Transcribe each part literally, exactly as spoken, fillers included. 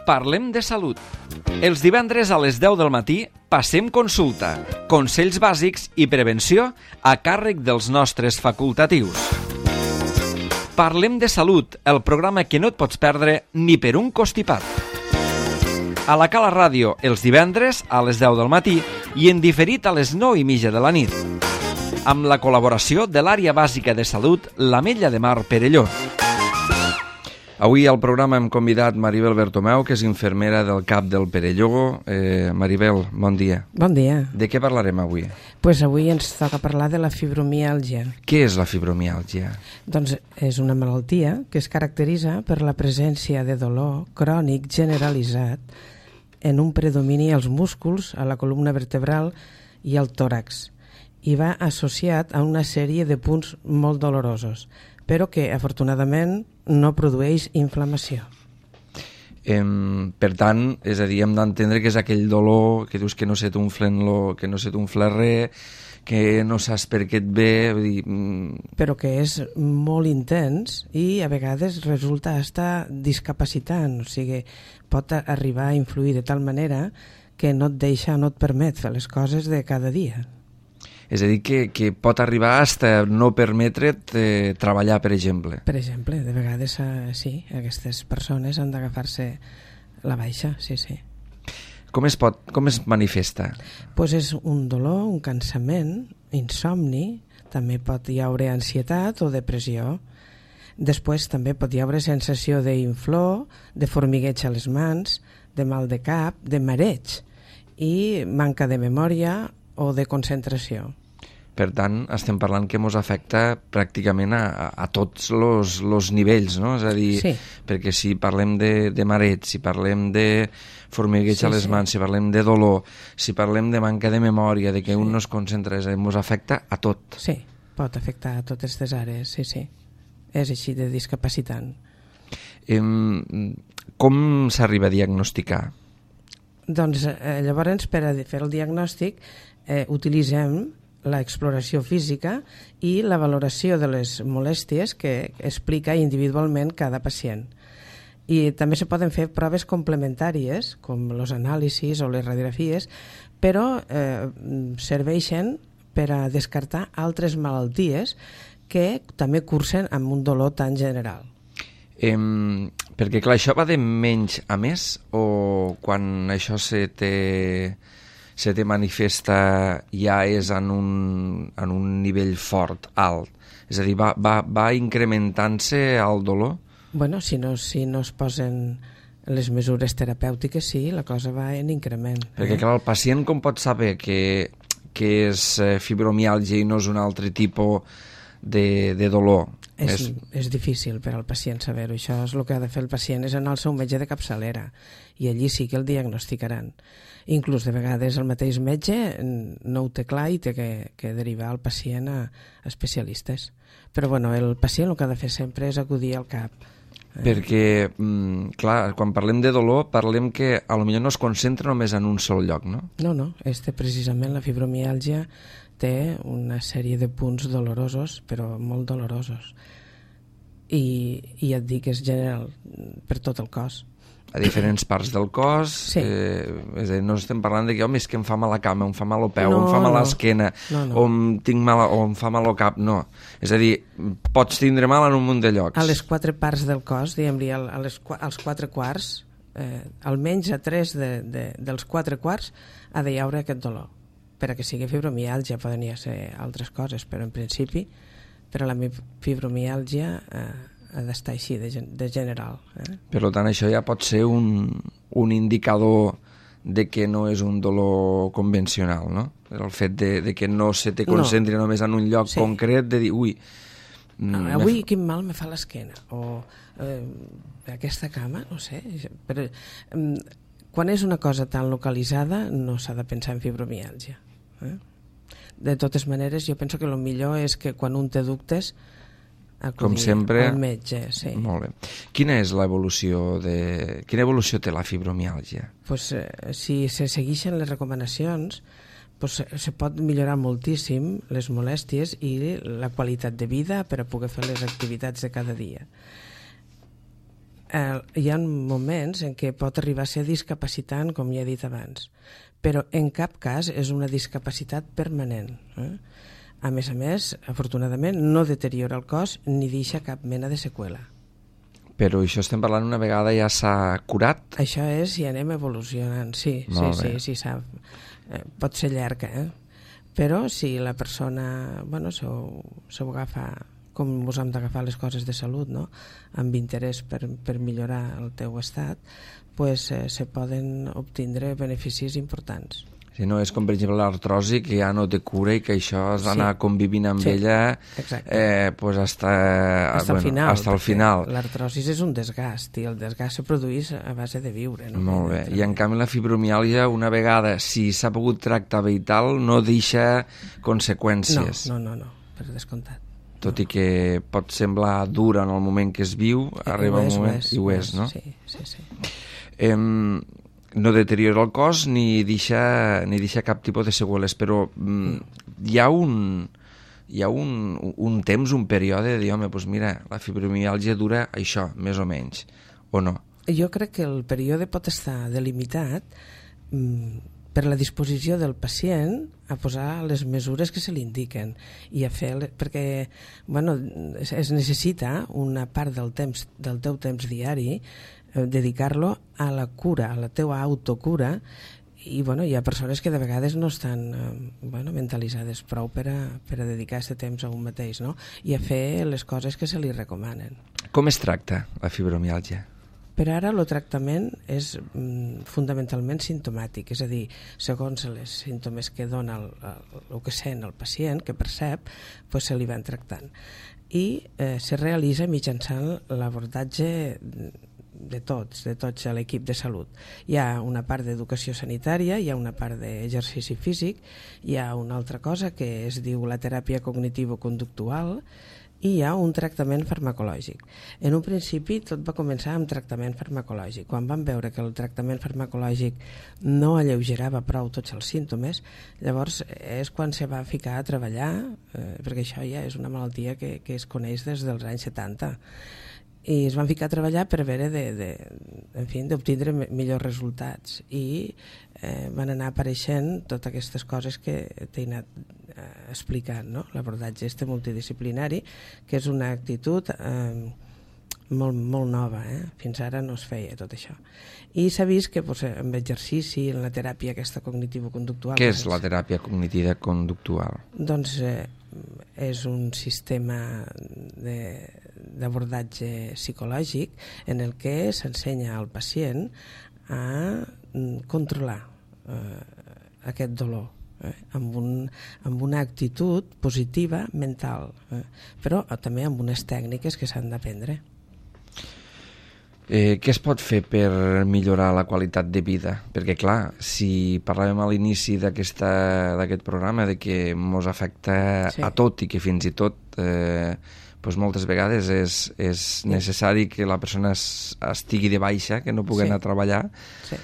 Parlem de salut. Els divendres a les deu del matí passem consulta, consells bàsics i prevenció a càrrec dels nostres facultatius. Parlem de salut, el programa que no et pots perdre ni per un costipat. A la Cala Ràdio, els divendres a les deu del matí i en diferit a les nou i mitja de la nit. Amb la col·laboració de l'Àrea Bàsica de Salut, l'Ametlla de Mar Perelló. Avui al programa hem convidat Maribel Bertomeu, que és infermera del C A P del Perelló. Eh, Maribel, bon dia. Bon dia. De què parlarem avui? Pues avui ens toca parlar de la fibromiàlgia. Què és la fibromiàlgia? Doncs és una malaltia que es caracteritza per la presència de dolor crònic generalitzat en un predomini als músculs, a la columna vertebral i al tòrax, i va associat a una sèrie de punts molt dolorosos, però que afortunadament no produeix inflamació. Eh, per tant, és a dir, hem d'entendre que és aquell dolor que dius que no se t'unflen lo, que no se t'unfla res, que no saps per què et ve... Vull dir, mm... però que és molt intens i a vegades resulta hasta discapacitant, o sigui, pot arribar a influir de tal manera que no et deixa, no et permet fer les coses de cada dia. És a dir, que, que pot arribar a no permetre't eh, treballar, per exemple. Per exemple, de vegades eh, sí, aquestes persones han d'agafar-se la baixa, sí, sí. Com es pot, com es manifesta? Pues és un dolor, un cansament, insomni, també pot hi haure ansietat o depressió. Després també pot hi haure sensació d'inflor, de formigueig a les mans, de mal de cap, de mareig i manca de memòria o de concentració. Per tant, estem parlant que ens afecta pràcticament a, a, a tots els nivells, no? És a dir, sí. Perquè si parlem de, de mareig, si parlem de formigueig sí, a les mans, sí. Si parlem de dolor, si parlem de manca de memòria, de que sí. Un no es concentra, ens afecta a tot. Sí, pot afectar a totes les àrees, sí, sí. És així de discapacitant. Eh, com s'arriba a diagnosticar? Doncs eh, llavors, per a fer el diagnòstic, eh, utilitzem l'exploració física i la valoració de les molèsties que explica individualment cada pacient. I també se poden fer proves complementàries, com els anàlisis o les radiografies, però eh, serveixen per a descartar altres malalties que també cursen amb un dolor tan general. Eh, perquè clar, això va de menys a més o quan això se té... se te manifesta ja és en un, en un nivell fort, alt? És a dir, va, va, va incrementant-se el dolor? Bueno, si no, si no es posen les mesures terapèutiques, sí, la cosa va en increment. Perquè, eh? clar, el pacient com pot saber que, que és fibromiàlgia i no és un altre tipus de, de dolor? És, és... és difícil per al pacient saber-ho. Això és el que ha de fer el pacient, és anar al seu metge de capçalera, i allí sí que el diagnosticaran. Inclús de vegades el mateix metge no ho té clar i té que, que derivar el pacient a, a especialistes. Però bueno, el pacient el que ha de fer sempre és acudir al C A P. Eh? Perquè, clar, quan parlem de dolor, parlem que potser no es concentra només en un sol lloc, no? No, no, este precisament, la fibromiàlgia, té una sèrie de punts dolorosos, però molt dolorosos. I, i ja et dic, és general per tot el cos. A diferents parts del cos, sí. eh, és a dir, no estem parlant de que home, és que em fa mal la cama, em fa mal el peu, no, em fa mal no. l'esquena, no, no. o, em tinc mal, o em fa mal el cap, no. És a dir, pots tindre mal en un munt de llocs. A les quatre parts del cos, diguem-li, als quatre quarts, eh, almenys a tres de, de, dels quatre quarts ha de hi haure aquest dolor. Per a que sigui fibromiàlgia poden ja ser altres coses, però en principi, per a la fibromiàlgia... Eh, ha d'estar així, de, de general. Eh? Per tant, això ja pot ser un, un indicador de que no és un dolor convencional, no? El fet de, de que no se te concentri no. només en un lloc sí. concret, de dir, ui... No, avui quin mal me fa l'esquena, o eh, aquesta cama, no sé... Però, eh, quan és una cosa tan localitzada, no s'ha de pensar en fibromiàlgia. Eh? De totes maneres, jo penso que el millor és que quan un té dubtes, com sempre, al metge, sí. Molt bé. Quina és l'evolució de... Quina evolució té la fibromiàlgia? Pues, eh, si se segueixen les recomanacions, pues, se pot millorar moltíssim les molèsties i la qualitat de vida per a poder fer les activitats de cada dia. eh, hi ha moments en què pot arribar a ser discapacitant, com ja he dit abans, però en cap cas és una discapacitat permanent. Eh? A més a més, afortunadament, no deteriora el cos ni deixa cap mena de seqüela. Però això estem parlant una vegada ja s'ha curat? Això és si anem evolucionant, sí, sí, sí, sí, sap. Eh, pot ser llarga, eh? Però si la persona, bueno, s'ho agafa com us hem d'agafar les coses de salut, no? Amb interès per, per millorar el teu estat, pues, eh, se poden obtindre beneficis importants. Si no, és com per exemple l'artrosi, que ja no té cura i que això has d'anar sí. convivint amb sí. ella eh, pues hasta, hasta bueno, el final. Hasta el final. L'artrosis és un desgast i el desgast se produeix a base de viure. No? Molt bé. I en canvi la fibromiàlgia, una vegada, si s'ha pogut tractar bé i tal, no deixa conseqüències. No, no, no, no per descomptat. Tot no. I que pot semblar dura en el moment que es viu, I arriba un moment... És, I ho és, no? Sí, sí, sí. Eh, no deteriora el cos ni deixa, ni deixa cap tipus de seqüeles, però mm, hi ha un hi ha un, un temps, un període de dir, home, doncs mira, la fibromiàlgia dura això, més o menys, o no? Jo crec que el període pot estar delimitat mm, per la disposició del pacient a posar les mesures que se li indiquen i a fer, perquè bueno, es, es necessita una part del temps del teu temps diari dedicar-lo a la cura, a la teua autocura, i bueno, hi ha persones que de vegades no estan eh, bueno, mentalitzades prou per a, per a dedicar aquest temps a un mateix, no? I a fer les coses que se li recomanen. Com es tracta la fibromiàlgia? Per ara el tractament és mm, fundamentalment simptomàtic, és a dir, segons els símptomes que dona el, el, el que sent el pacient, que percep, pues se li van tractant. I eh, se realitza mitjançant l'abordatge de tots, de tots a l'equip de salut. Hi ha una part d'educació sanitària, hi ha una part d'exercici físic, hi ha una altra cosa que es diu la teràpia cognitivo-conductual i hi ha un tractament farmacològic. En un principi tot va començar amb tractament farmacològic. Quan van veure que el tractament farmacològic no alleugerava prou tots els símptomes, llavors és quan se va ficar a treballar, eh, perquè això ja és una malaltia que, que es coneix des dels anys setanta, i es van ficar a treballar per veure de, de, en fi, d'obtindre millors resultats i eh, van anar apareixent totes aquestes coses que t'he anat eh, explicant, no? L'abordatge este multidisciplinari, que és una actitud eh, molt, molt nova, eh? Fins ara no es feia tot això. I s'ha vist que pues, amb exercici, en la teràpia aquesta cognitivo-conductual... Què és la teràpia cognitiva conductual? Doncs eh, és un sistema de d'abordatge psicològic en el que s'ensenya al pacient a controlar eh, aquest dolor eh, amb, un, amb una actitud positiva mental, eh, però també amb unes tècniques que s'han d'aprendre. Eh, què es pot fer per millorar la qualitat de vida? Perquè, clar, si parlàvem a l'inici d'aquest programa de que ens afecta sí. a tot i que fins i tot eh, doncs moltes vegades és, és necessari que la persona es, estigui de baixa, que no pugui sí. anar a treballar, sí.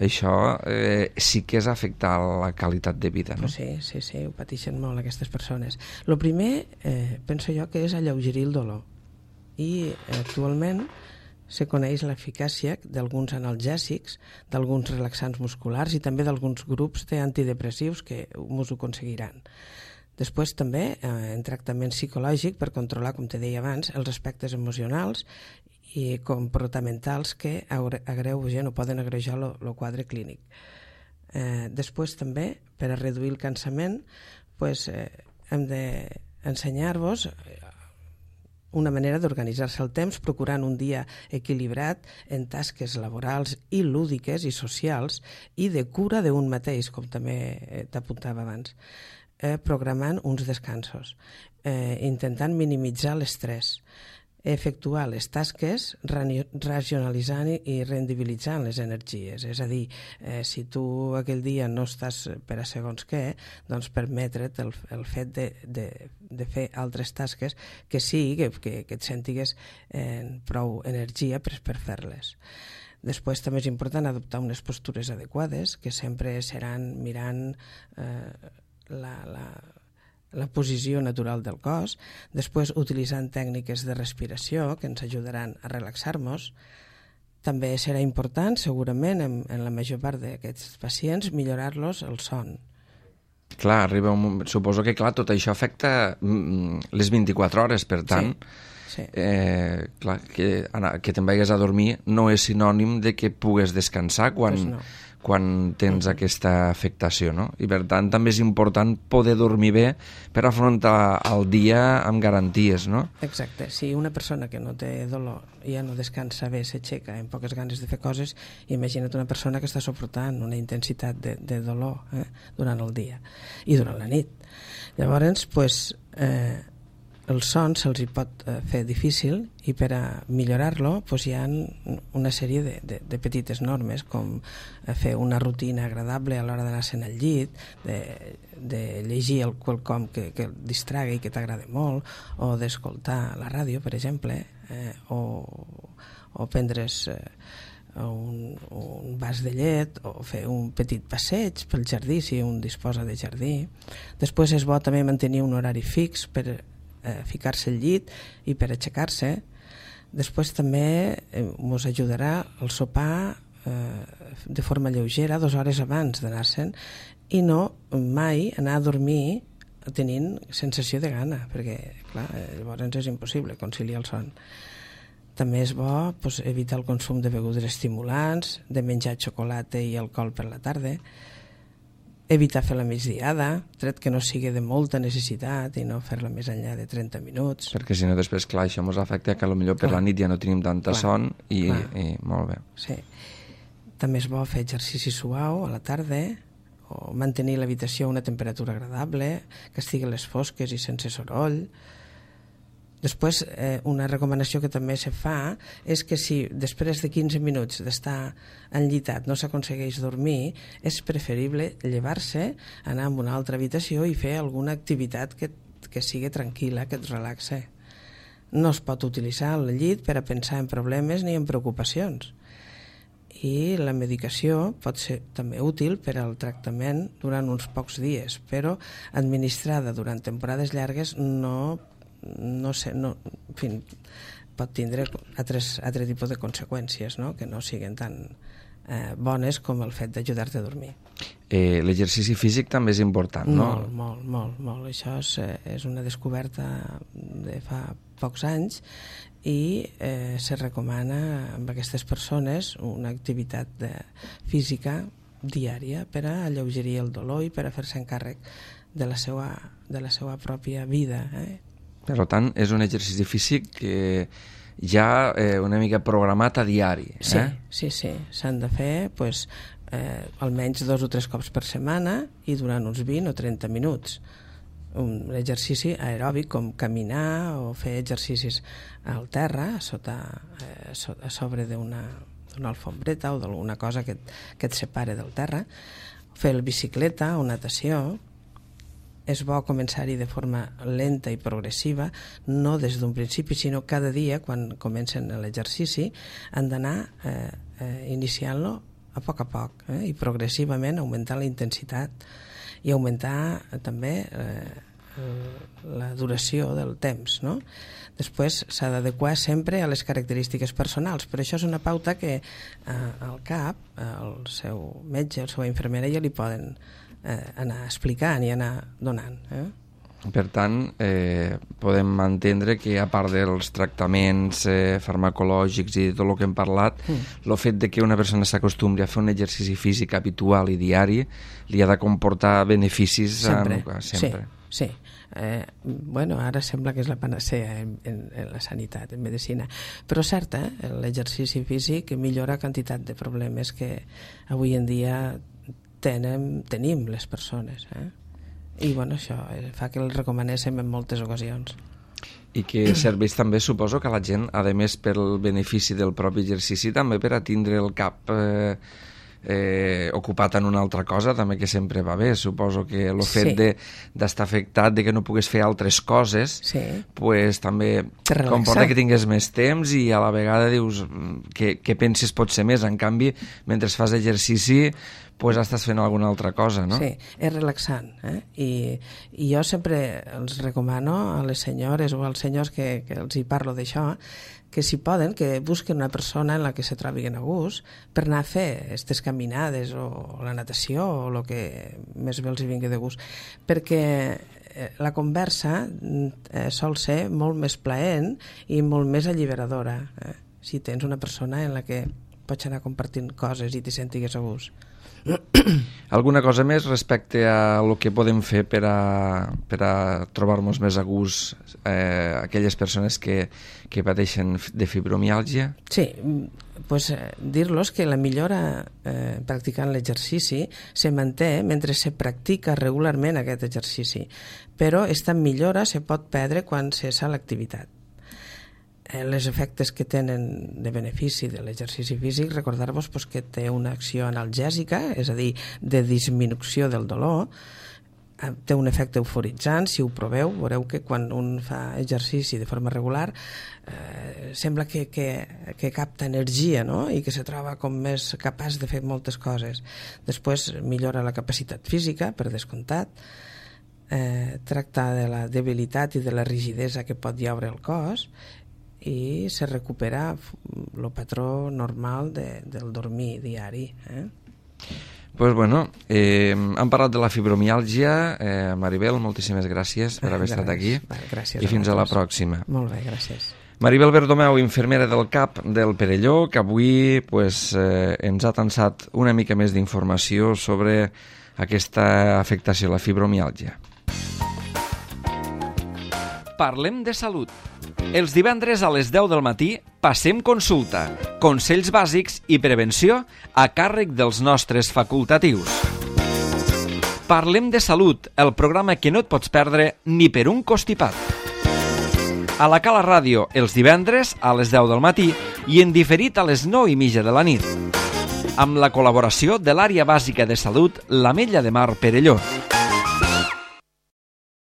això eh, sí que és afectar la qualitat de vida, no? Sí, sí, sí, ho pateixen molt aquestes persones. El primer, eh, penso jo, que és alleugerir el dolor. I eh, actualment se coneix l'eficàcia d'alguns analgèsics, d'alguns relaxants musculars i també d'alguns grups d'antidepressius que ens ho aconseguiran. Després també eh, en tractament psicològic per controlar, com te deia abans, els aspectes emocionals i comportamentals que agreugen o poden agreujar el quadre clínic. Eh, després també, per a reduir el cansament, pues, eh, hem d'ensenyar-vos una manera d'organitzar-se el temps procurant un dia equilibrat en tasques laborals i lúdiques i socials i de cura d'un mateix, com també t'apuntava abans. Eh, programant uns descansos, eh, intentant minimitzar l'estrès, efectuar les tasques racionalitzant i rendibilitzant les energies. És a dir, eh, si tu aquell dia no estàs per a segons què, doncs permetre't el, el fet de, de, de fer altres tasques que sí, que, que, que et sentigues eh, prou energia per, per fer-les. Després també és important adoptar unes postures adequades, que sempre seran mirant eh, La, la, la posició natural del cos, després utilitzant tècniques de respiració que ens ajudaran a relaxar-nos, També serà important, segurament, en, en la major part d'aquests pacients, millorar-los el son. Clar, arriba un moment... Suposo que, clar, tot això afecta mm, les vint-i-quatre hores, per tant, sí, sí. Eh, clar, que, anar, que te'n vagis a dormir no és sinònim de que pugues descansar quan, pues no. quan tens uh-huh. aquesta afectació, no? I, per tant, també és important poder dormir bé per afrontar el dia amb garanties, no? Exacte. Si una persona que no té dolor ja no descansa bé, s'aixeca amb poques ganes de fer coses, imagina't una persona que està suportant una intensitat de, de dolor eh, durant el dia i durant la nit. Llavors, pues, eh, el son se'ls hi pot eh, fer difícil i per a millorar-lo pues, hi ha una sèrie de, de, de petites normes com eh, fer una rutina agradable a l'hora d'anar-se'n al llit, de, de llegir el quelcom que, que el distragui i que t'agrada molt, o d'escoltar la ràdio, per exemple, eh, o, o prendre's eh, un, un vas de llet o fer un petit passeig pel jardí si un disposa de jardí. Després és bo també mantenir un horari fix per eh, ficar-se al llit i per aixecar-se. Després també eh, us ajudarà el sopar eh, de forma lleugera dues hores abans d'anar-se'n i no mai anar a dormir tenint sensació de gana, perquè clar, llavors és impossible conciliar el son. També és bo pues, evitar el consum de begudes estimulants, de menjar xocolata i alcohol per la tarda, evitar fer la migdiada, tret que no sigui de molta necessitat i no fer-la més enllà de trenta minuts. Perquè si no després, clar, això ens afecta que potser per clar. La nit ja no tenim tanta clar. Son i, i molt bé. Sí. També és bo fer exercici suau a la tarda o mantenir l'habitació a una temperatura agradable, que estigui a les fosques i sense soroll. Després, eh, una recomanació que també se fa és que si després de quinze minuts d'estar enllitat no s'aconsegueix dormir, és preferible llevar-se, anar a una altra habitació i fer alguna activitat que, que sigui tranquil·la, que et relaxe. No es pot utilitzar el llit per a pensar en problemes ni en preocupacions. I la medicació pot ser també útil per al tractament durant uns pocs dies, però administrada durant temporades llargues no no sé, no, en fi, pot tindre altres, altre tipus de conseqüències, no? Que no siguin tan eh, bones com el fet d'ajudar-te a dormir. Eh, l'exercici físic també és important, no? Molt, molt, molt, molt. Això és, és una descoberta de fa pocs anys i eh, se recomana amb aquestes persones una activitat de, física diària per a alleugerir el dolor i per a fer-se encàrrec de la seva, de la seva pròpia vida, eh? Per tant, és un exercici físic que ja eh, una mica programat a diari. Eh? Sí, sí, sí. S'han de fer pues, eh, almenys dos o tres cops per setmana i durant uns vint o trenta minuts. Un exercici aeròbic com caminar o fer exercicis al terra, a, sota, eh, a sobre d'una una alfombreta o d'alguna cosa que, que et separe del terra, fer la bicicleta o natació. És bo començar-hi de forma lenta i progressiva, no des d'un principi, sinó cada dia, quan comencen l'exercici, han d'anar eh, eh, iniciant-lo a poc a poc eh, i progressivament augmentar la intensitat i augmentar eh, també eh, la duració del temps, no? Després s'ha d'adequar sempre a les característiques personals, però això és una pauta que eh, al cap, el seu metge, el seu infermera ja li poden Eh, anar explicant i anar donant. Eh? Per tant, eh, podem entendre que a part dels tractaments eh, farmacològics i tot el que hem parlat, el mm. fet de que una persona s'acostumi a fer un exercici físic habitual i diari li ha de comportar beneficis sempre. En, sempre. Sí, sí. Eh, bueno, ara sembla que és la panacea en, en, en la sanitat, en medicina, però cert, eh? L'exercici físic millora quantitat de problemes que avui en dia Tenem, tenim les persones eh? I bueno, això fa que el recomanéssim en moltes ocasions i que serveix també, suposo que la gent, a més pel benefici del propi exercici, també per a tindre el cap eh, eh, ocupat en una altra cosa, també que sempre va bé. Suposo que el fet sí. d'estar afectat, de que no pugues fer altres coses, sí. pues, també comporta que tingués més temps i a la vegada dius que, que penses pot ser més. En canvi, mentre fas exercici, pues estàs fent alguna altra cosa, no? Sí, és relaxant. Eh? I, I jo sempre els recomano a les senyores o als senyors que, que els hi parlo d'això, que si poden, que busquen una persona en la que se trobin a gust per anar a fer aquestes caminades o la natació o el que més bé els hi vingui de gust. Perquè la conversa eh, sol ser molt més plaent i molt més alliberadora, eh? Si tens una persona en la que pots anar compartint coses i t'hi sentigues a gust. Alguna cosa més respecte a el que podem fer per a, per a trobar-nos més a gust eh, aquelles persones que, que pateixen de fibromiàlgia? Sí, pues, eh, dir-los que la millora eh, practicant l'exercici se manté mentre se practica regularment aquest exercici, però aquesta millora se pot perdre quan cessa l'activitat. Les efectes que tenen de benefici de l'exercici físic, recordar-vos pues, que té una acció analgèsica, és a dir, de disminució del dolor, té un efecte euforitzant. Si ho proveu, veureu que quan un fa exercici de forma regular eh, sembla que, que, que capta energia, no? I que se troba com més capaç de fer moltes coses. Després millora la capacitat física, per descomptat, eh, tracta de la debilitat i de la rigidesa que pot llaure el cos, i se recupera el patró normal de, del dormir diari. Eh? Pues bueno, eh, hem parlat de la fibromiàlgia. eh, Maribel, moltíssimes gràcies per haver estat aquí. Gràcies i fins a, a la pròxima. Molt bé, gràcies. Maribel Bertomeu, infermera del C A P del Perelló, que avui pues, eh, ens ha tensat una mica més d'informació sobre aquesta afectació, la fibromiàlgia. Parlem de salut. Els divendres a les deu del matí passem consulta, consells bàsics i prevenció a càrrec dels nostres facultatius. Parlem de salut, el programa que no et pots perdre ni per un costipat. A la Cala Ràdio, els divendres a les deu del matí i en diferit a les nou i mitja de la nit. Amb la col·laboració de l'Àrea Bàsica de Salut, l'Ametlla de Mar Perelló.